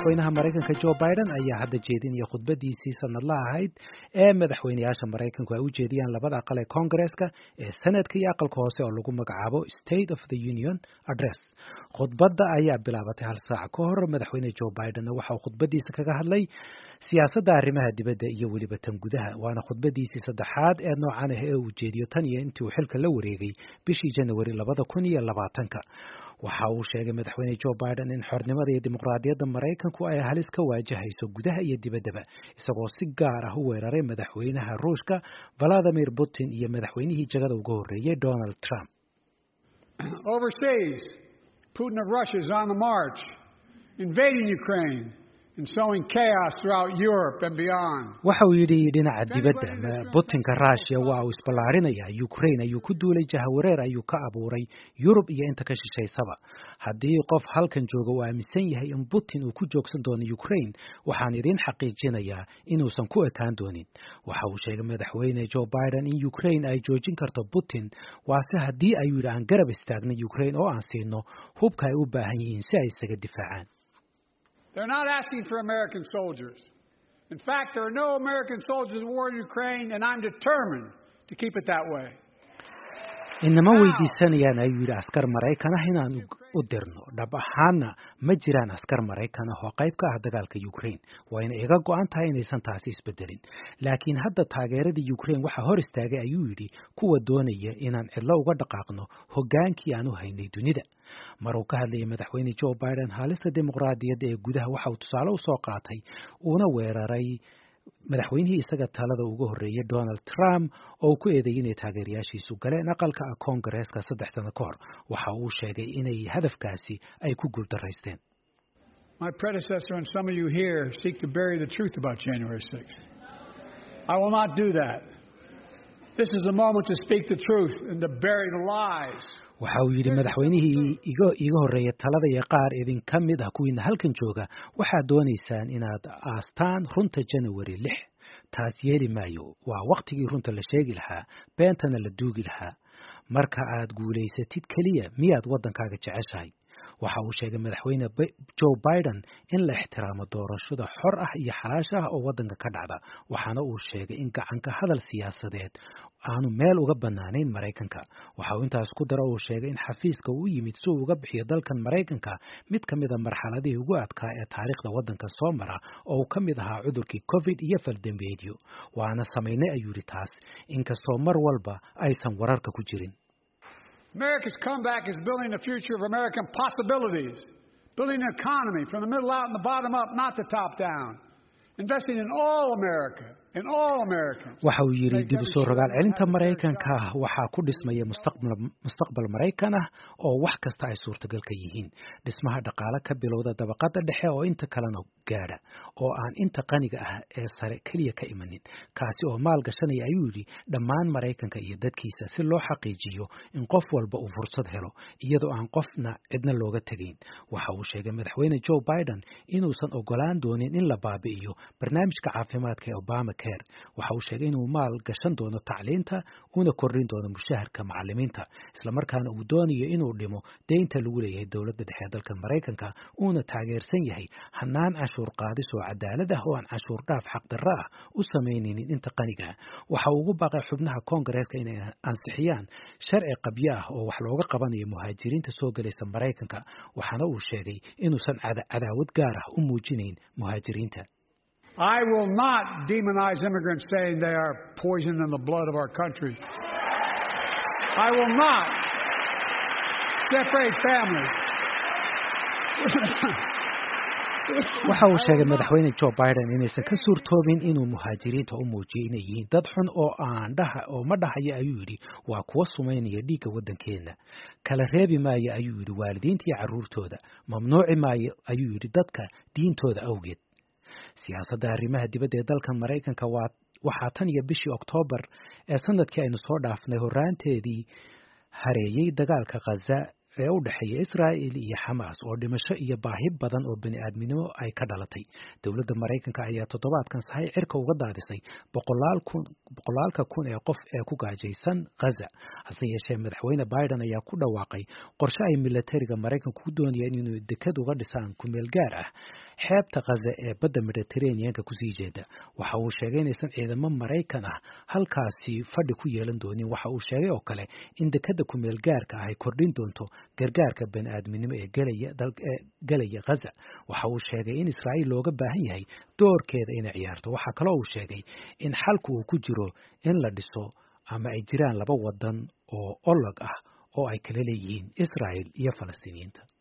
Madaxweynaha Maraykanka Joe Biden ayaa hadda jeedinaya khudbadiisii sanadlaha ahayd ee madaxweynayaasha Maraykanku ay u jeediyaan labada aqal ee Koongareeska ee Senadka iyo aqalka hoose oo lagu magacaabo State of the Union Address. Khudbadda ayaa bilaabatay hal saac ka hor. Madaxweyne Joe Bidenna waxa uu khudbadiisa kaga hadlay siyaasadda arrimaha dibadda iyo weliba tan gudaha, waana khudbadiisii saddexaad ee noocan ah ee uu jeediyo tan iyo intii uu xilka la wareegay bishii Janawari 2020-ka. Waxa uu sheegay madaxweyne Joe Biden in xornimada iyo dimuqraadiyadda Maraykanku ay halis ka waajahayso gudaha iyo dibaddaba, isagoo si gaar ah u weeraray madaxweynaha Ruushka Vladimir Putin iyo madaxweynihii jagada uga horreeyey Donald Trump. Overseas, Putin of Russia is on the march, invading Ukraine and sowing chaos throughout Europe and beyond. Waxa uu yidhi dhinaca dibadda, Putinka Ruushia waa uu isballaarinayaa, Ukraine ayuu ku duulay, jahawareer ayuu ka abuuray Yurub iyo inta ka shishaysaba. Haddii qof halkan jooga uu aaminsan yahay in Putin uu ku joogsan doono Ukraine, waxaan idiin xaqiijinayaa inuusan ku ekaan doonin. Waxa uu sheegay madaxweyne Joe Biden in Ukraine ay joojin karto Putin, waase haddii, ayuu yidhi, aan garab istaagno Ukraine oo aan siino hubka ay u baahan yihiin si ay isaga difaacaan. They're not asking for American soldiers. In fact, there are no American soldiers at war in Ukraine, and I'm determined to keep it that way. Inama weydiisanayaan, ayuu yidhi, askar Maraykan ah inaan u dirno. Dhab ahaanna ma jiraan askar Maraykan ah oo qayb ka ah dagaalka Ukraine, wayna iga go'an tahay inaysan taasi isbedelin. Laakiin hadda taageeradii Ukraine waxaa hor istaagay, ayuu yidhi, kuwa doonaya inaan cidlo uga dhaqaaqno hoggaankii aan u haynay dunida. Mar uu ka hadlayay madaxweyne Joe Biden halista dimuqraadiyadda ee gudaha, waxa uu tusaale usoo qaatay uuna weeraray madaxweynihii isaga talada uga horreeyey Donald Trump oo ku eedeeyey inay taageerayaashiisu galeen aqalka Koongareeska 3 sano ka hor. Waxa uu sheegay inay hadafkaasi ay ku guuldaraysteen. My predecessor and some of you here seek to bury the truth about January 6th. I will not do that. This is the moment to speak the truth and to bury the lies. Waxa uu yidhi madaxweynihii iga horreeya talada iyo qaar idinka mid ah kuwiina halkan jooga waxaad doonaysaan inaad aastaan runta Janawari 6. Taas yeeli maayo. Waa wakhtigii runta la sheegi lahaa, beentana la duugi lahaa. Marka aad guulaysatid keliya miyaad waddankaaga jeceshahay? Waxa uu sheegay madaxweyne Joe Biden in la ixtiraamo doorashada xor ah iyo xalaasha ah oo waddanka ka dhacda, waxaana uu sheegay in gacanka hadal siyaasadeed aanu meel uga bannaanayn Maraykanka. Waxa uu intaas ku daro uu sheegay in xafiiska uu yimid si uu uga bixiyo dalkan Maraykanka mid ka mid ah marxaladihii ugu adkaa ee taariikhda waddanka soo mara, oo uu ka mid ahaa cudurkii Covid iyo faldembeedyo. Waana samaynay, ayuu yidhi, taas, inkastoo mar walba aysan wararka ku jirin. America's comeback is building the future of American possibilities, building an economy from the middle out and the bottom up, not the top down, investing in all America, in all Americans. Waxa uu yidhi dib u soo rogaal celinta Maraykanka waxaa ku dhismaya mustaqbal Maraykan ah oo wax kasta ay suurtagal ka yihiin, dhismaha dhaqaale ka bilowda dabaqada dhexe oo inta kalena gaadha, oo aan inta qaniga ah ee sare keliya ka imanin, kaasi oo maal gashanaya, ayuu yidhi, dhammaan Maraykanka iyo dadkiisa, si loo xaqiijiyo in qof walba uu fursad helo iyadoo aan qofna cidna looga tegayn. Waxa uu sheegay madaxweyne Joe Biden inuusan ogolaan doonin in la baabi'iyo barnaamijka caafimaadka ee Obamacare. Waxa uu sheegay inuu maal gashan doono tacliinta, una kordhin doono mushaharka macalimiinta, islamarkaana uu doonayo inuu dhimo deynta lagu leeyahay dowladda dhexe ee dalka Maraykanka, uuna taageersan yahay hanaan canshuur qaadis oo cadaalad ah oo aan canshuur dhaaf xaqdarro ah u samaynaynin inta qaniga. Waxa uu ugu baaqay xubnaha Koongareeska inay ansixiyaan sharci qabyo ah oo wax looga qabanayo muhaajiriinta soo gelaysa Maraykanka, waxaana uu sheegay inuusan cadaawad gaar ah u muujinayn muhaajiriinta. I will not demonize immigrants, saying they are poison in the blood of our country. I will not separate families. Waxa uu sheegay madaxweyne Joe Biden inaysan ka suurtoobin inuu muhaajiriinta u muujiyo inay yihiin dad xun oo aan dhaha oo ma dhahayo, ayuu yidhi, waa kuwa sumaynaya dhiigga waddankeenna. Kala reebi maayo, ayuu yidhi, waalidiinta iyo carruurtooda. Mamnuuci maayo, ayuu yidhi, dadka diintooda awgeed. Siyaasadda arrimaha dibadda ee dalka Maraykanka waa waxaa tan iyo bishii Oktoobar ee sanadkii aynu soo dhaafnay horraanteedii hareeyey dagaalka Khaza ee u dhexeeya Israa'il iyo Xamaas, oo dhimasho iyo baahi badan oo bani aadminimo ay ka dhalatay. Dowladda Maraykanka ayaa toddobaadkan sahay cirka uga daadisay boqolaalka kun ee qof ee ku gaajaysan Khaza. Hase yeeshee, madaxweyne Biden ayaa ku dhawaaqay qorshe ay milatariga Maraykanku ku doonayaan inuu dekad uga dhisaan kumeel gaar ah. xeebta Khaza ee badda Mediterraneanka kusii jeeda. Waxa uu sheegay inaysan ciidamo Maraykan ah halkaasi fadhi ku yeelan doonin. Waxa uu sheegay oo kale in dekadda kumeel gaarka ah ay kordhin doonto gargaarka bani-aadminimo ee gelaya Khaza. Waxa uu sheegay in Israa'iil looga baahan yahay doorkeeda inay ciyaarto. Waxaa kaloo uu sheegay in xalku uu ku jiro in la dhiso ama ay jiraan laba wadan oo olog ah oo ay kala leeyihiin Israa'il iyo Falastiiniyiinta.